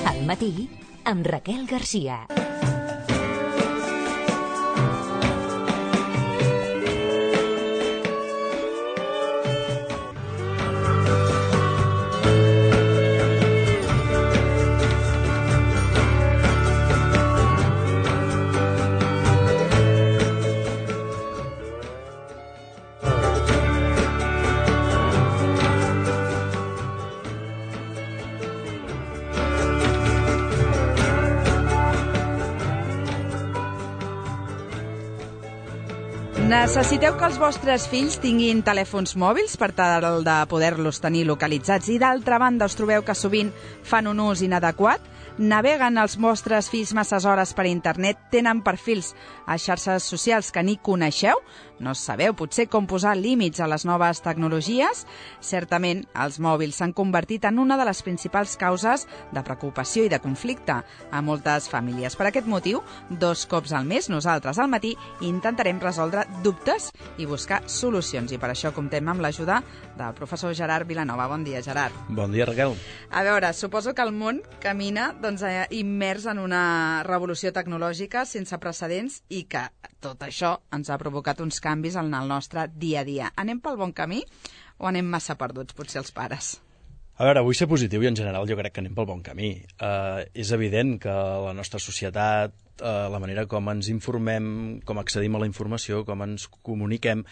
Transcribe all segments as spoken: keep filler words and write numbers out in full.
Al matí, amb Raquel Garcia. Necessiteu que els vostres fills tinguin telèfons mòbils per tal de poder-los tenir localitzats i, d'altra banda, us trobeu que sovint fan un ús inadequat? Naveguen els vostres fills masses hores per internet? Tenen perfils a xarxes socials que ni coneixeu? No sabeu potser com posar límits a les noves tecnologies? Certament, els mòbils s'han convertit en una de les principals causes de preocupació i de conflicte a moltes famílies. Per aquest motiu, dos cops al mes, nosaltres al matí intentarem resoldre dubtes i buscar solucions. I per això comptem amb l'ajuda del professor Gerard Vilanova. Bon dia, Gerard. Bon dia, Raquel. A veure, suposo que el món camina doncs, eh, immers en una revolució tecnològica sense precedents i que tot això ens ha provocat uns canvis en el nostre dia a dia. Anem pel bon camí o anem massa perduts, potser els pares? A veure, vull ser positiu i en general jo crec que anem pel bon camí. Uh, és evident que la nostra societat, uh, la manera com ens informem, com accedim a la informació, com ens comuniquem,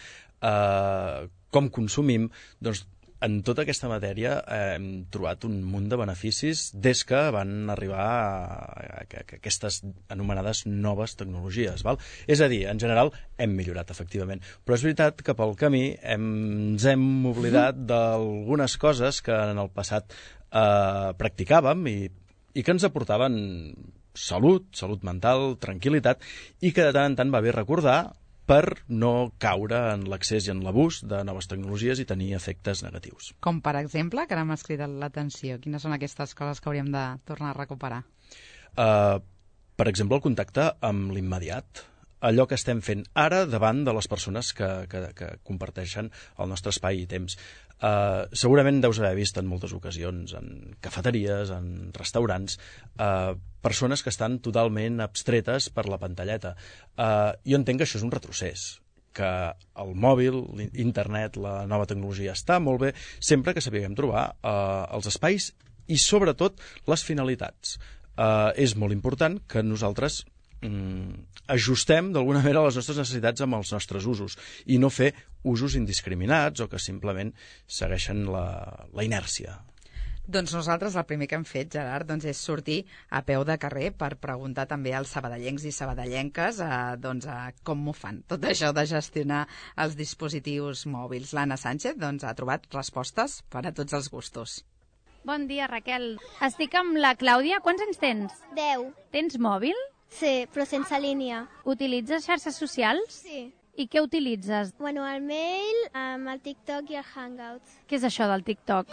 uh, com consumim, doncs en tota aquesta matèria eh, hem trobat un munt de beneficis des que van arribar a, a, a aquestes anomenades noves tecnologies. Val? És a dir, en general hem millorat, efectivament. Però és veritat que pel camí hem, ens hem oblidat d'algunes coses que en el passat eh, practicàvem i, i que ens aportaven salut, salut mental, tranquil·litat, i que de tant en tant va bé recordar per no caure en l'accés i en l'abús de noves tecnologies i tenir efectes negatius. Com, per exemple, que ara m'has cridat l'atenció. Quines són aquestes coses que hauríem de tornar a recuperar? Uh, per exemple, el contacte amb l'immediat. Allò que estem fent ara davant de les persones que, que, que comparteixen el nostre espai i temps. Uh, segurament deus haver vist en moltes ocasions, en cafeteries, en restaurants, uh, persones que estan totalment abstretes per la pantalleta. Uh, jo entenc que això és un retrocés, que el mòbil, l'internet, la nova tecnologia està molt bé, sempre que sapiguem trobar uh, els espais i, sobretot, les finalitats. Uh, és molt important que nosaltres mm, ajustem d'alguna manera les nostres necessitats amb els nostres usos i no fer usos indiscriminats o que simplement segueixen la, la inèrcia. Doncs nosaltres el primer que hem fet, Gerard, doncs és sortir a peu de carrer per preguntar també als sabadellencs i sabadellenques eh, doncs, eh, com m'ho fan, tot això de gestionar els dispositius mòbils. L'Anna Sánchez doncs, ha trobat respostes per a tots els gustos. Bon dia, Raquel. Estic amb la Clàudia. Quants anys tens? Deu. Tens mòbil? Sí, però sense línia. Utilitzes xarxes socials? Sí. I què utilitzes? Bueno, el mail, amb el TikTok i el Hangouts. Què és això del TikTok?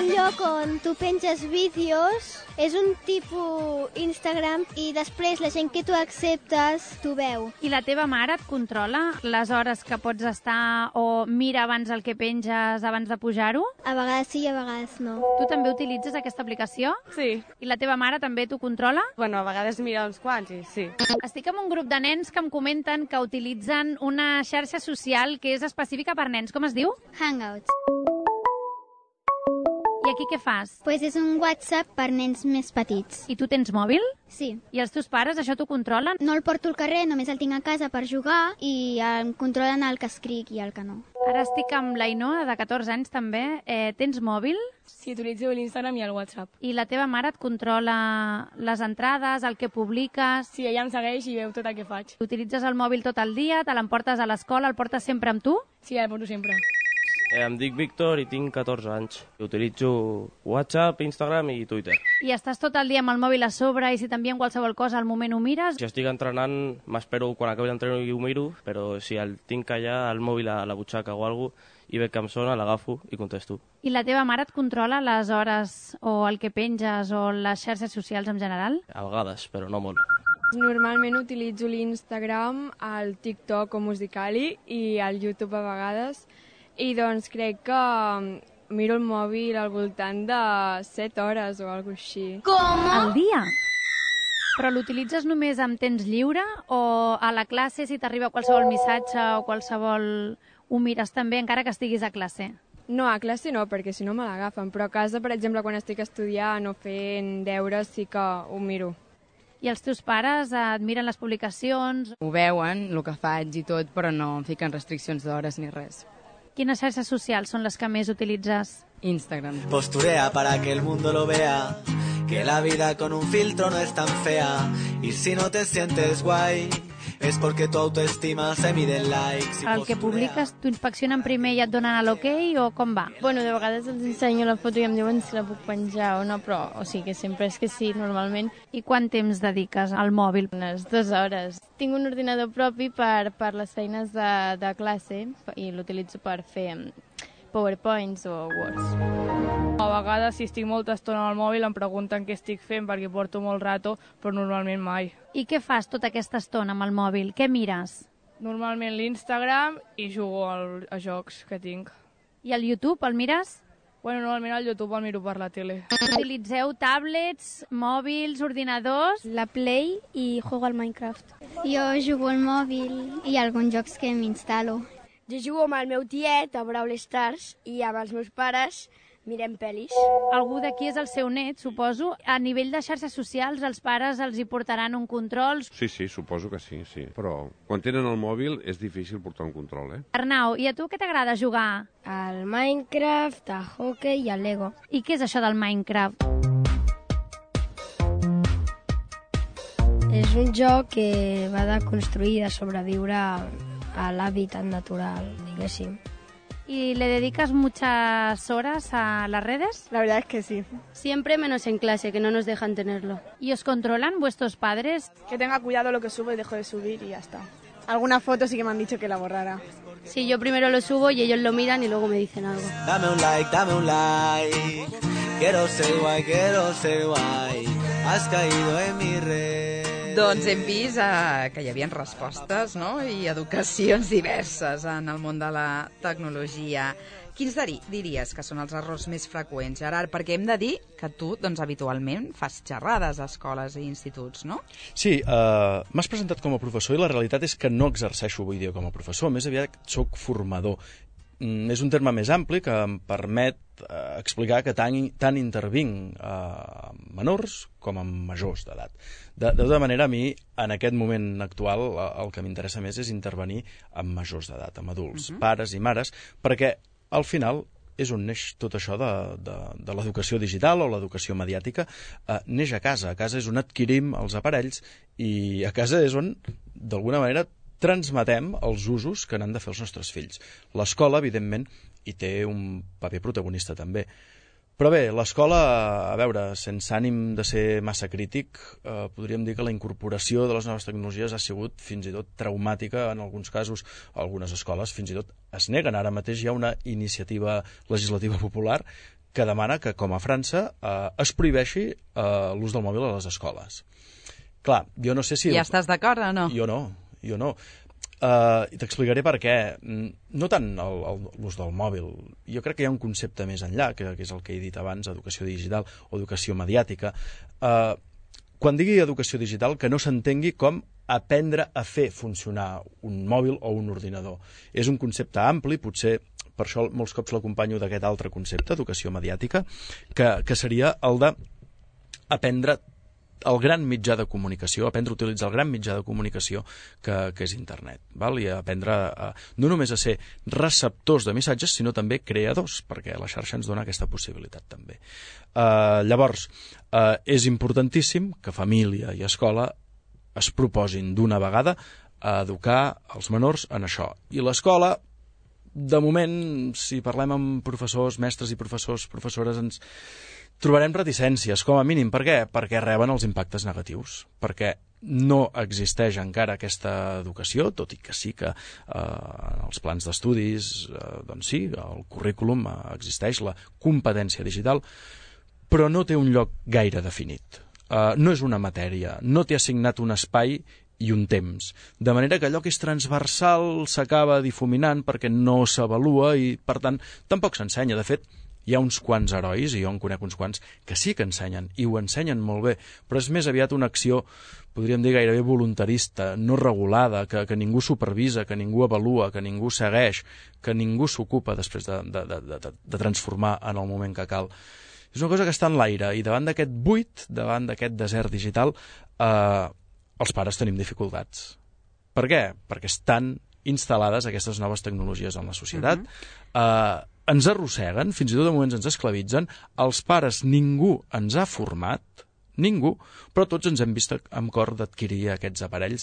Un lloc on tu penges vídeos, és un tipus Instagram i després la gent que tu acceptes t'ho veu. I la teva mare et controla les hores que pots estar o mira abans el que penges abans de pujar-ho? A vegades sí i a vegades no. Tu també utilitzes aquesta aplicació? Sí. I la teva mare també t'ho controla? Bueno, a vegades mira uns quants i sí. Estic amb un grup de nens que em comenten que utilitzen una xarxa social que és específica per nens. Com es diu? Hangouts. I aquí què fas? Pues és un WhatsApp per nens més petits. I tu tens mòbil? Sí. I els teus pares això t'ho controlen? No el porto al carrer, només el tinc a casa per jugar i em controlen el que escric i el que no. Ara estic amb l'Ainoa, de catorze anys també. Eh, tens mòbil? Sí, utilitzo l'Instagram i el WhatsApp. I la teva mare et controla les entrades, el que publiques? Sí, ella em segueix i veu tot el que faig. Utilitzes el mòbil tot el dia, te l'emportes a l'escola, el portes sempre amb tu? Sí, el porto sempre. Em dic Víctor i tinc catorze anys. Utilitzo WhatsApp, Instagram i Twitter. I estàs tot el dia amb el mòbil a sobre i si t'envien qualsevol cosa al moment ho mires? Si estic entrenant, m'espero quan acabi l'entrenament i ho miro, però si el tinc allà, el mòbil a la butxaca o alguna cosa, i veig que em sona, l'agafo i contesto. I la teva mare et controla les hores o el que penges o les xarxes socials en general? A vegades, però no molt. Normalment utilitzo l'Instagram, el TikTok o Musical.ly i el YouTube a vegades. I doncs crec que miro el mòbil al voltant de set hores o alguna cosa així. Com? Al dia? Però l'utilitzes només amb temps lliure o a la classe si t'arriba qualsevol missatge o qualsevol... ho mires també encara que estiguis a classe? No, a classe no, perquè si no me l'agafen, però a casa, per exemple, quan estic estudiant o fent deures sí que ho miro. I els teus pares et miren les publicacions? Ho veuen, el que faig i tot, però no em fiquen restriccions d'hores ni res. Quines xarxes socials són les que més utilitzes? Instagram. Posturea para que el mundo lo vea, que la vida con un filtro no es tan fea, y si no te sientes guay, es porque tu autoestima se mide en likes. El que publiques, t'ho inspeccionen primer i et donen l'ok o com va? Bueno, de vegades els ensenyo la foto i em diuen si la puc penjar o no, però o sigui que sempre és que sí, normalment. I quant temps dediques al mòbil? Unes dues hores. Tinc un ordinador propi per, per les feines de, de classe i l'utilitzo per fer PowerPoints o Words. A vegades, si estic molta estona al mòbil, em pregunten què estic fent perquè porto molt rato, però normalment mai. I què fas tota aquesta estona amb el mòbil? Què mires? Normalment l'Instagram i jugo al, a jocs que tinc. I el YouTube, el mires? Bueno, normalment el YouTube el miro per la tele. Utilitzeu tablets, mòbils, ordinadors? La Play i juego al Minecraft. Jo jugo al mòbil i alguns jocs que m'instal·lo. Jo jugo amb el meu tiet a Brawl Stars i amb els meus pares mirem pel·lis. Algú d'aquí és el seu net, suposo. A nivell de xarxes socials, els pares els hi portaran un control? Sí, sí, suposo que sí, sí. Però quan tenen el mòbil és difícil portar un control, eh? Arnau, i a tu què t'agrada jugar? Al Minecraft, a hockey i al Lego. I què és això del Minecraft? És un joc que va de construir i de sobreviure a l'hàbitat natural, diguéssim. ¿Y le dedicas muchas horas a las redes? La verdad es que sí. Siempre menos en clase, que no nos dejan tenerlo. ¿Y os controlan vuestros padres? Que tenga cuidado lo que subo y dejo de subir y ya está. Alguna foto sí que me han dicho que la borrara. Sí, yo primero lo subo y ellos lo miran y luego me dicen algo. Dame un like, dame un like. Quiero ser guay, quiero ser guay. Has caído en mi red. Doncs hem vist eh, que hi havia respostes, no?, i educacions diverses en el món de la tecnologia. Quins diries que són els errors més freqüents, Gerard? Perquè hem de dir que tu, doncs, habitualment fas xerrades a escoles i instituts, no? Sí, eh, m'has presentat com a professor i la realitat és que no exerceixo avui dia com a professor, més aviat soc formador. Mm, és un terme més ampli que em permet eh, explicar que tant, tant intervinc a eh, menors com a majors d'edat. De, de tota manera, a mi, en aquest moment actual, el que m'interessa més és intervenir amb majors d'edat, amb adults, uh-huh. pares i mares, perquè al final és on neix tot això de, de, de l'educació digital o l'educació mediàtica. Eh, neix a casa. A casa és on adquirim els aparells i a casa és on, d'alguna manera, transmetem els usos que n'han de fer els nostres fills. L'escola, evidentment, hi té un paper protagonista també. Però bé, l'escola, a veure, sense ànim de ser massa crític, eh, podríem dir que la incorporació de les noves tecnologies ha sigut fins i tot traumàtica en alguns casos. Algunes escoles fins i tot es neguen. Ara mateix hi ha una iniciativa legislativa popular que demana que, com a França, eh, es prohibeixi eh, l'ús del mòbil a les escoles. Clar, jo no sé si... Ja estàs d'acord o no? Jo no, jo no. Uh, I t'explicaré per què. No tant l'ús del mòbil. Jo crec que hi ha un concepte més enllà, que, que és el que he dit abans, educació digital o educació mediàtica. Uh, quan digui educació digital, que no s'entengui com aprendre a fer funcionar un mòbil o un ordinador. És un concepte ampli, potser per això molts cops l'acompanyo d'aquest altre concepte, educació mediàtica, que, que seria el d'aprendre el gran mitjà de comunicació, aprendre a utilitzar el gran mitjà de comunicació que, que és internet, val? I aprendre a, no només a ser receptors de missatges, sinó també creadors, perquè la xarxa ens dona aquesta possibilitat també. Uh, llavors, uh, és importantíssim que família i escola es proposin d'una vegada a educar els menors en això. I l'escola de moment, si parlem amb professors, mestres i professors, professores, ens trobarem reticències, com a mínim. Per què? Perquè reben els impactes negatius, perquè no existeix encara aquesta educació, tot i que sí que eh, en els plans d'estudis, eh, doncs sí, el currículum eh, existeix, la competència digital, però no té un lloc gaire definit. Eh, no és una matèria, no té assignat un espai i un temps. De manera que allò que és transversal s'acaba difuminant perquè no s'avalua i, per tant, tampoc s'ensenya. De fet, hi ha uns quants herois, i jo en conec uns quants, que sí que ensenyen, i ho ensenyen molt bé, però és més aviat una acció, podríem dir, gairebé voluntarista, no regulada, que, que ningú supervisa, que ningú avalua, que ningú segueix, que ningú s'ocupa després de, de, de, de, de transformar en el moment que cal. És una cosa que està en l'aire, i davant d'aquest buit, davant d'aquest desert digital, eh, els pares tenim dificultats. Per què? Perquè estan instal·lades aquestes noves tecnologies en la societat, uh-huh. eh, ens arrosseguen, fins i tot de moments ens esclavitzen, els pares ningú ens ha format, ningú, però tots ens hem vist amb cor d'adquirir aquests aparells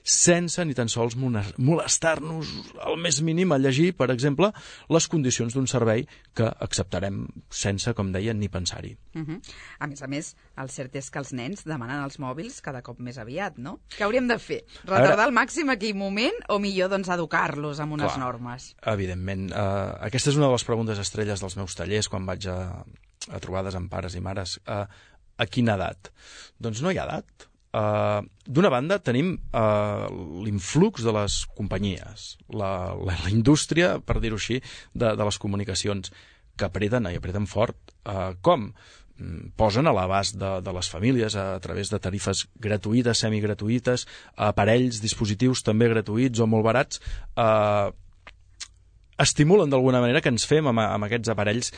sense ni tan sols molestar-nos al més mínim a llegir, per exemple, les condicions d'un servei que acceptarem sense, com deia, ni pensar-hi. Uh-huh. A més a més, el cert és que els nens demanen els mòbils cada cop més aviat, no? Què hauríem de fer? Retardar al màxim aquell moment o millor doncs educar-los amb unes Clar, normes? Evidentment. Uh, aquesta és una de les preguntes estrelles dels meus tallers quan vaig a, a trobades amb pares i mares. Uh, A quina edat? Doncs no hi ha edat. Uh, D'una banda, tenim uh, l'influx de les companyies, la, la, la indústria, per dir-ho així, de, de les comunicacions, que apreten, i apreten fort. Uh, com? Posen a l'abast de, de les famílies a, a través de tarifes gratuïtes, semigratuïtes, aparells, dispositius també gratuïts o molt barats, uh, estimulen d'alguna manera que ens fem amb, amb aquests aparells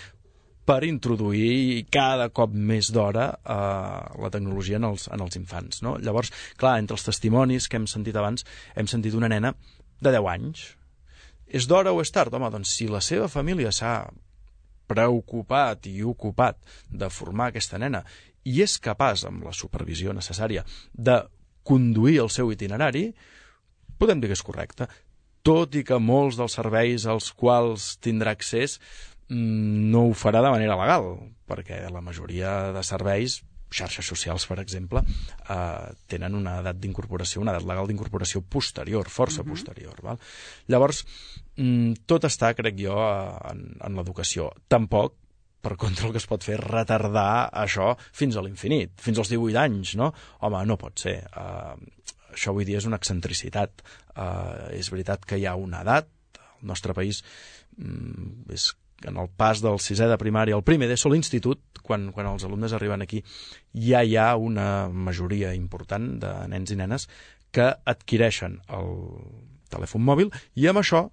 per introduir cada cop més d'hora eh, la tecnologia en els, en els infants. No? Llavors, clar, entre els testimonis que hem sentit abans, hem sentit una nena de deu anys. És d'hora o és tard? Home, doncs si la seva família s'ha preocupat i ocupat de formar aquesta nena i és capaç, amb la supervisió necessària, de conduir el seu itinerari, podem dir que és correcte. Tot i que molts dels serveis als quals tindrà accés no ho farà de manera legal, perquè la majoria de serveis, xarxes socials, per exemple, eh, tenen una edat d'incorporació, una edat legal d'incorporació posterior, força uh-huh. posterior. Val? Llavors, tot està, crec jo, en, en l'educació. Tampoc, per contra, el que es pot fer és retardar això fins a l'infinit, fins als divuit anys, no? Home, no pot ser. Eh, això avui dia és una excentricitat. Eh, és veritat que hi ha una edat, el nostre país mm, és en el pas del sisè de primària al primer d'ESO, l'institut, quan, quan els alumnes arriben aquí, ja hi ha una majoria important de nens i nenes que adquireixen el telèfon mòbil i amb això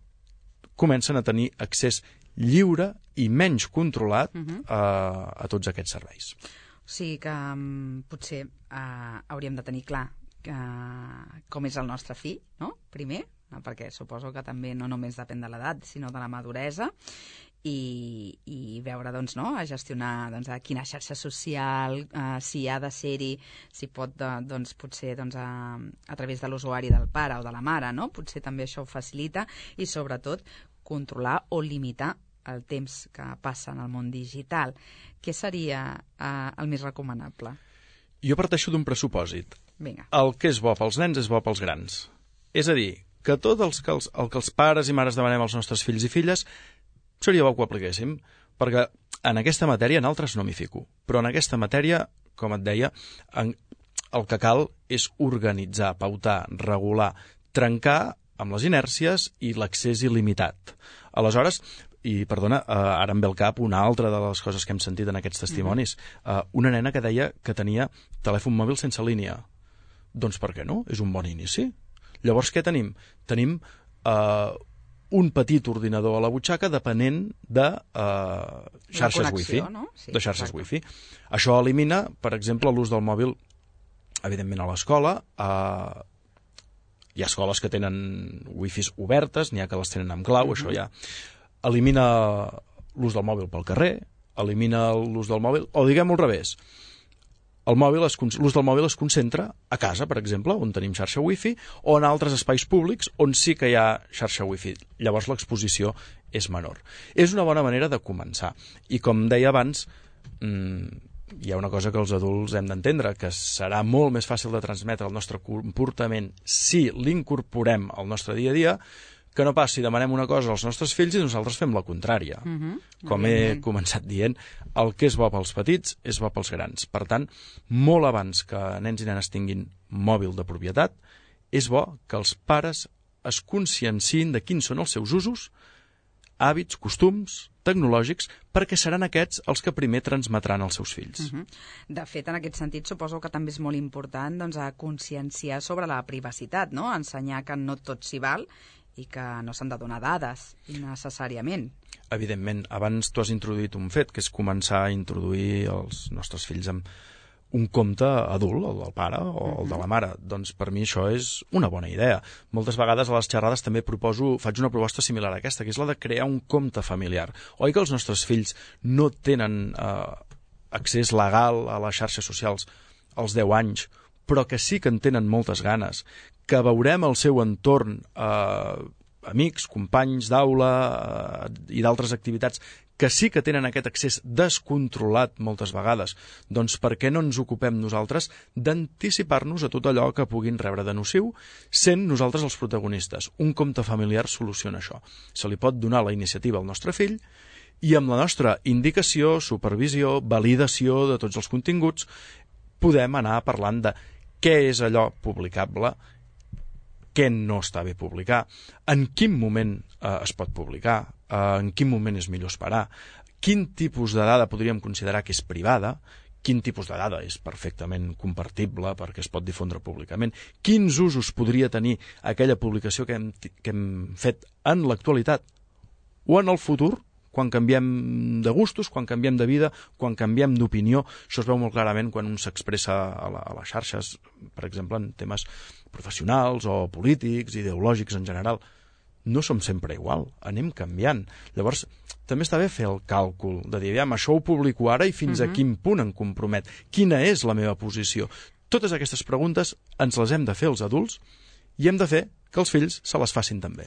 comencen a tenir accés lliure i menys controlat uh-huh. a, a tots aquests serveis. O sigui que um, potser uh, hauríem de tenir clar que, com és el nostre fill, no? Primer, no? Perquè suposo que també no només depèn de l'edat, sinó de la maduresa, i, i veure, doncs, no?, a gestionar doncs, a quina xarxa social, eh, si ha de ser-hi, si pot, de, doncs, potser doncs, a, a través de l'usuari del pare o de la mare, no? Potser també això ho facilita i, sobretot, controlar o limitar el temps que passa en el món digital. Què seria eh, el més recomanable? Jo parteixo d'un pressupòsit. Vinga. El que és bo pels nens és bo pels grans. És a dir, que tot els que els, el que els pares i mares demanem als nostres fills i filles seria bo que ho apliquéssim, perquè en aquesta matèria en altres no m'hi fico, però en aquesta matèria, com et deia, en, el que cal és organitzar, pautar, regular, trencar amb les inèrcies i l'accés il·limitat. Aleshores, i perdona, eh, ara em ve al cap una altra de les coses que hem sentit en aquests testimonis, eh, una nena que deia que tenia telèfon mòbil sense línia. Doncs per què no? És un bon inici. Llavors què tenim? Tenim eh, un petit ordinador a la butxaca depenent de uh, xarxes wifi. No? Sí, de xarxes exacte. wifi. Això elimina, per exemple, l'ús del mòbil, evidentment, a l'escola. Uh, hi ha escoles que tenen wifis obertes, n'hi ha que les tenen amb clau, uh-huh. això ja. Elimina l'ús del mòbil pel carrer, elimina l'ús del mòbil, o diguem-ho al revés. el mòbil es, l'ús del mòbil es concentra a casa, per exemple, on tenim xarxa wifi, o en altres espais públics on sí que hi ha xarxa wifi. Llavors l'exposició és menor. És una bona manera de començar. I com deia abans, mmm, hi ha una cosa que els adults hem d'entendre, que serà molt més fàcil de transmetre el nostre comportament si l'incorporem al nostre dia a dia, que no pas si demanem una cosa als nostres fills i nosaltres fem la contrària. Uh-huh. Com he començat dient, el que és bo pels petits és bo pels grans. Per tant, molt abans que nens i nenes tinguin mòbil de propietat, és bo que els pares es conscienciïn de quins són els seus usos, hàbits, costums tecnològics, perquè seran aquests els que primer transmetran als seus fills. Uh-huh. De fet, en aquest sentit, suposo que també és molt important doncs, a conscienciar sobre la privacitat, no? Ensenyar que no tot s'hi val i que no s'han de donar dades innecessàriament. Evidentment, abans tu has introduït un fet, que és començar a introduir els nostres fills amb un compte adult, el del pare o el de la mare. Doncs per mi això és una bona idea. Moltes vegades a les xerrades també proposo, faig una proposta similar a aquesta, que és la de crear un compte familiar. Oi que els nostres fills no tenen eh, accés legal a les xarxes socials als deu anys, però que sí que en tenen moltes ganes, que veurem el seu entorn, eh, amics, companys d'aula eh, i d'altres activitats, que sí que tenen aquest accés descontrolat moltes vegades, doncs per què no ens ocupem nosaltres d'anticipar-nos a tot allò que puguin rebre de nociu, sent nosaltres els protagonistes. Un compte familiar soluciona això. Se li pot donar la iniciativa al nostre fill i amb la nostra indicació, supervisió, validació de tots els continguts, podem anar parlant de què és allò publicable, què no està bé publicar, en quin moment eh, es pot publicar, eh, en quin moment és millor esperar, quin tipus de dada podríem considerar que és privada, quin tipus de dada és perfectament compartible perquè es pot difondre públicament, quins usos podria tenir aquella publicació que hem, que hem fet en l'actualitat o en el futur, quan canviem de gustos, quan canviem de vida, quan canviem d'opinió. Això es veu molt clarament quan un s'expressa a, la, a les xarxes, per exemple, en temes professionals o polítics, ideològics en general. No som sempre igual, anem canviant. Llavors, també està bé fer el càlcul de dir, aviam, això ho publico ara i fins uh-huh. a quin punt em compromet? Quina és la meva posició? Totes aquestes preguntes ens les hem de fer els adults i hem de fer que els fills se les facin també.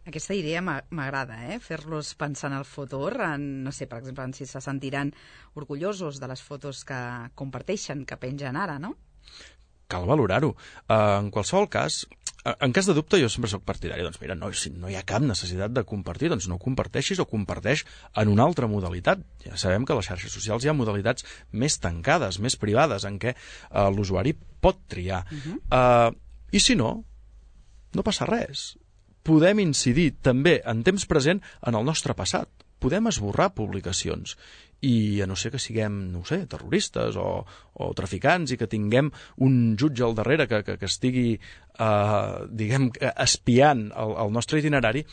Aquesta idea m'agrada, eh? Fer-los pensar en el futur, en, no sé, per exemple, en si se sentiran orgullosos de les fotos que comparteixen, que pengen ara, no? Cal valorar-ho. Uh, en qualsevol cas, uh, en cas de dubte, jo sempre soc partidari. Doncs mira, no, si no hi ha cap necessitat de compartir, doncs no comparteixis o comparteix en una altra modalitat. Ja sabem que a les xarxes socials hi ha modalitats més tancades, més privades, en què uh, l'usuari pot triar. Uh-huh. uh, I si no, no passa res. Podem incidir també en temps present en el nostre passat. Podem esborrar publicacions i a no ser que siguem, no ho sé, terroristes o, o traficants i que tinguem un jutge al darrere que, que, que estigui, eh, diguem, espiant el, el nostre itinerari,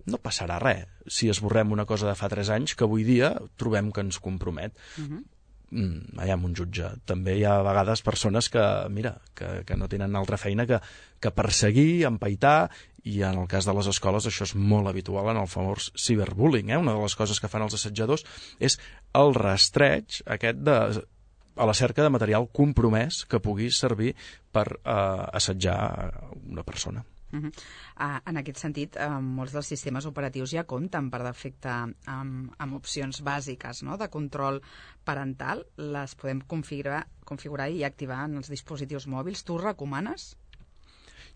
no passarà res si esborrem una cosa de fa tres anys que avui dia trobem que ens compromet. Uh-huh. Mm, allà amb un jutge. També hi ha a vegades persones que, mira, que, que no tenen altra feina que, que perseguir, empaitar, i en el cas de les escoles això és molt habitual en el famós ciberbullying. Eh? Una de les coses que fan els assetjadors és el rastreig aquest de, a la cerca de material compromès que pugui servir per eh, assetjar una persona. Uh-huh. Uh, en aquest sentit, uh, molts dels sistemes operatius ja compten per defecte amb, amb opcions bàsiques, no?, de control parental. Les podem configurar, configurar i activar en els dispositius mòbils. Tu ho recomanes?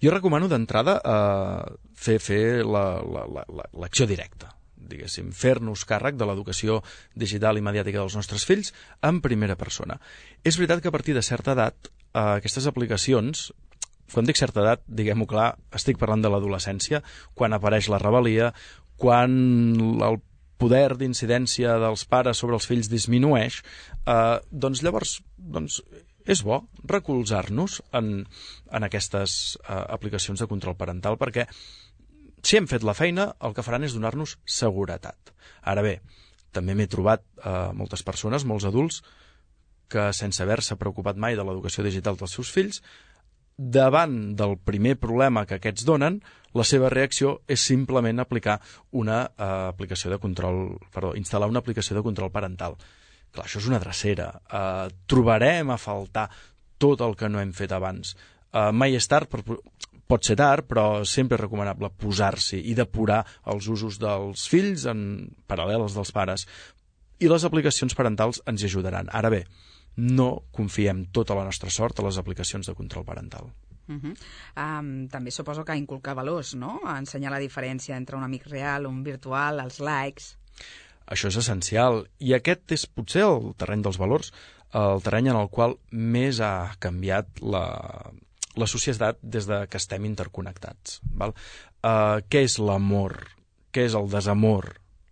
Jo recomano d'entrada eh, fer, fer la, la, la, l'acció directa, diguéssim, fer-nos càrrec de l'educació digital i mediàtica dels nostres fills en primera persona. És veritat que a partir de certa edat eh, aquestes aplicacions, quan dic certa edat, diguem-ho clar, estic parlant de l'adolescència, quan apareix la rebel·lia, quan el poder d'incidència dels pares sobre els fills disminueix, eh, doncs llavors doncs, és bo recolzar-nos en, en aquestes eh, aplicacions de control parental, perquè si hem fet la feina, el que faran és donar-nos seguretat. Ara bé, també m'he trobat eh, moltes persones, molts adults, que sense haver-se preocupat mai de l'educació digital dels seus fills, davant del primer problema que aquests donen, la seva reacció és simplement aplicar una eh, aplicació de control, perdó, instal·lar una aplicació de control parental. Clar, això és una drecera. Uh, trobarem a faltar tot el que no hem fet abans. Uh, mai és tard, per, pot ser tard, però sempre és recomanable posar-s'hi i depurar els usos dels fills en paral·lel als dels pares. I les aplicacions parentals ens hi ajudaran. Ara bé, no confiem tota la nostra sort a les aplicacions de control parental. Uh -huh. um, també suposo que inculcar valors, no? Ensenyar la diferència entre un amic real, un virtual, els likes... Això és essencial, i aquest és potser el terreny dels valors, el terreny en el qual més ha canviat la, la societat des de que estem interconnectats. Val? Uh, què és l'amor? Què és el desamor?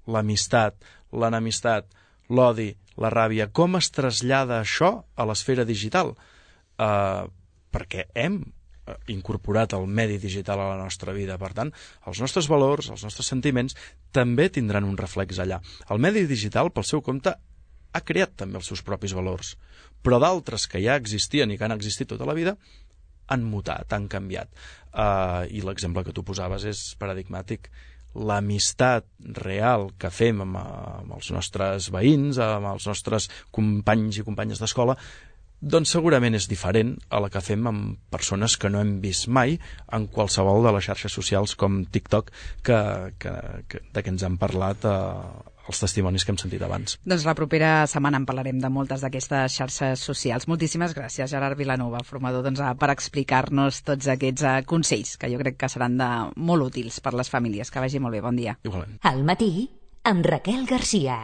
L'amistat, l'enemistat, l'odi, la ràbia? Com es trasllada això a l'esfera digital? Uh, perquè hem incorporat el medi digital a la nostra vida. Per tant, els nostres valors, els nostres sentiments, també tindran un reflex allà. El medi digital, pel seu compte, ha creat també els seus propis valors, però d'altres que ja existien i que han existit tota la vida han mutat, han canviat. Uh, I l'exemple que tu posaves és paradigmàtic. L'amistat real que fem amb, amb els nostres veïns, amb els nostres companys i companyes d'escola, doncs segurament és diferent a la que fem amb persones que no hem vist mai en qualsevol de les xarxes socials com TikTok, que, que, que, de què ens han parlat eh, els testimonis que hem sentit abans. Doncs la propera setmana en parlarem de moltes d'aquestes xarxes socials. Moltíssimes gràcies, Gerard Vilanova, formador, doncs, per explicar-nos tots aquests uh, consells, que jo crec que seran de molt útils per les famílies. Que vagi molt bé, bon dia. Igualment. Al matí, amb Raquel Garcia.